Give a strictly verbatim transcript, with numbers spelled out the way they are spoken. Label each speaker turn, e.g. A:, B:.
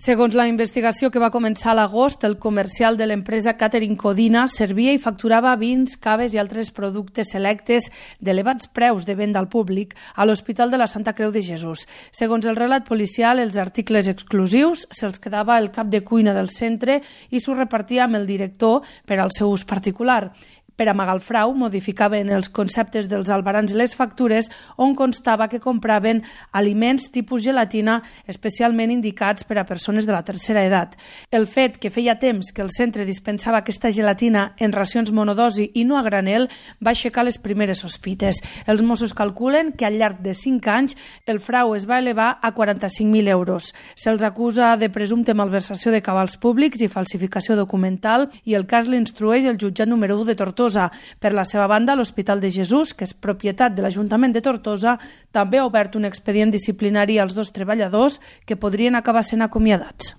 A: Segons la investigació que va començar a l'agost, el comercial de l'empresa Catering Codina servia i facturava vins, caves i altres productes selectes d'elevats preus de venda al públic a l'Hospital de la Santa Creu de Jesús. Segons el relat policial, els articles exclusius se'ls quedava el cap de cuina del centre i s'ho repartia amb el director per al seu ús particular. Per amagar el frau, modificaven els conceptes dels albarans i les factures on constava que compraven aliments tipus gelatina especialment indicats per a persones de la tercera edat. El fet que feia temps que el centre dispensava aquesta gelatina en racions monodosi i no a granel va aixecar les primeres sospites. Els Mossos calculen que al llarg de cinc anys el frau es va elevar a quaranta-cinc mil euros. Se'ls acusa de presumpte malversació de cabals públics i falsificació documental i el cas l'instrueix el jutjat número u de Tortosa. Per la seva banda, l'Hospital de Jesús, que és propietat de l'Ajuntament de Tortosa, també ha obert un expedient disciplinari als dos treballadors que podrien acabar sent acomiadats.